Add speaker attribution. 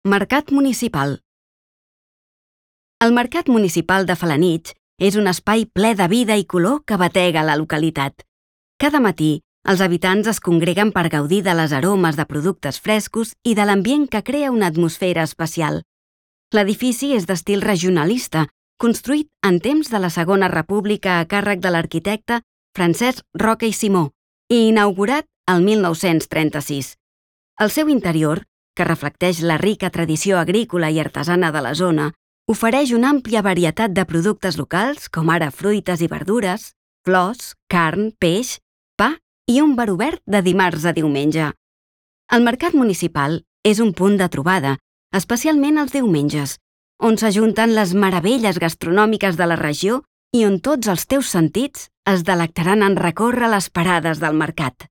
Speaker 1: Mercat municipal. El Mercat Municipal de Felanitx és un espai ple de vida i color que batega la localitat. Cada matí, els habitants es congreguen per gaudir de les aromes de productes frescos i de l'ambient que crea una atmosfera especial. L'edifici és d'estil regionalista, construït en temps de la Segona República a càrrec de l'arquitecte Francesc Roca i Simó i inaugurat el 1936. El seu interior, que reflecteix la rica tradició agrícola i artesana de la zona, ofereix una àmplia varietat de productes locals, com ara fruites i verdures, flors, carn, peix, pa i un bar obert de dimarts a diumenge. El mercat municipal és un punt de trobada, especialment els diumenges, on s'ajunten les meravelles gastronòmiques de la regió i on tots els teus sentits es delectaran en recórrer les parades del mercat.